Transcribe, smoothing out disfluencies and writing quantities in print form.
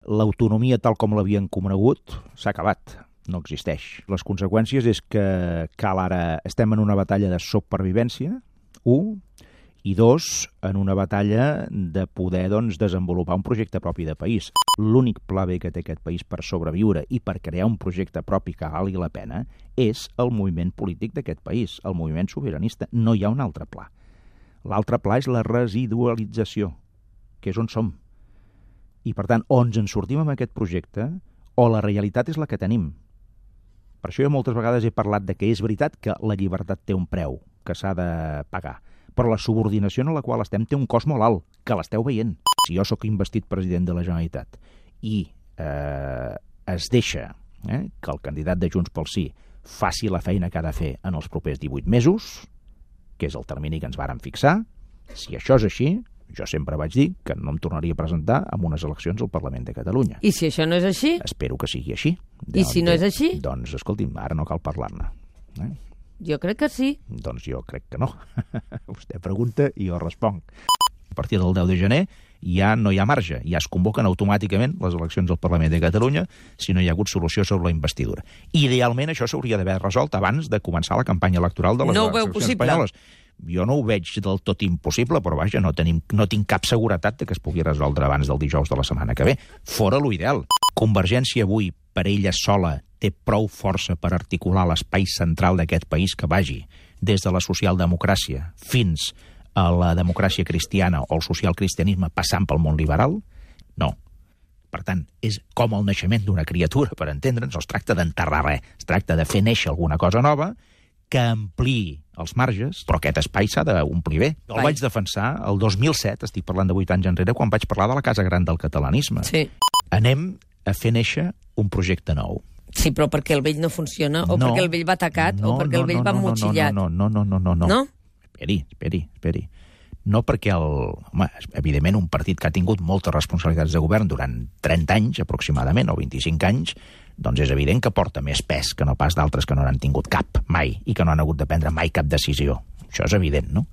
l'autonomia tal com l'havien conegut s'ha acabat, no existeix. Les conseqüències és que cal ara, estem en una batalla de supervivència, 1, i 2, en una batalla de poder desenvolupar un projecte propi de país. L'únic pla B que té aquest país per sobreviure i per crear un projecte propi que valgui la pena és el moviment polític d'aquest país, el moviment sobiranista. No hi ha un altre pla. L'altre pla és la residualització, que és on som. I, per tant, o ens en sortim amb aquest projecte o la realitat és la que tenim. Per això jo moltes vegades he parlat de que és veritat que la llibertat té un preu, que s'ha de pagar, però la subordinació en la qual estem té un cost molt alt, que l'esteu veient. Si jo sóc investit president de la Generalitat i es deixa que el candidat de Junts pel Sí faci la feina que ha de fer en els propers 18 mesos, que és el termini que ens vàrem fixar, si això és així, jo sempre vaig dir que no em tornaria a presentar en unes eleccions al Parlament de Catalunya. I si això no és així? Espero que sigui així. I si no és així? Doncs, escolti'm, ara no cal parlar-ne. Jo crec que sí. Doncs jo crec que no. Vostè pregunta i jo responc. A partir del 10 de gener ja no hi ha marge, ja es convoquen automàticament les eleccions al Parlament de Catalunya si no hi ha hagut solució sobre la investidura. Idealment això s'hauria d'haver resolt abans de començar la campanya electoral de les eleccions espanyoles. Jo no ho veig del tot impossible, però vaja, no tinc cap seguretat de que es pugui resoldre abans del dijous de la setmana que ve. Fora l'ideal. Convergència avui, per ella sola, té prou força per articular l'espai central d'aquest país que vagi des de la socialdemocràcia fins a la democràcia cristiana o el socialcristianisme passant pel món liberal? No. Per tant, és com el naixement d'una criatura, per entendre'ns, no es tracta d'enterrar res, es tracta de fer néixer alguna cosa nova que ampliï els marges, però aquest espai s'ha d'omplir bé. Jo el vaig defensar el 2007, estic parlant de 8 anys enrere, quan vaig parlar de la Casa Gran del catalanisme. Sí. Anem a fer néixer un projecte nou. Sí, però perquè el vell no funciona, o perquè el vell va tacat, o perquè el vell va motxillat. No. No? Esperi. No perquè evidentment, un partit que ha tingut moltes responsabilitats de govern durant 30 anys, aproximadament, o 25 anys, doncs és evident que porta més pes que no pas d'altres que no n'han tingut cap, mai, i que no han hagut de prendre mai cap decisió. Això és evident, no?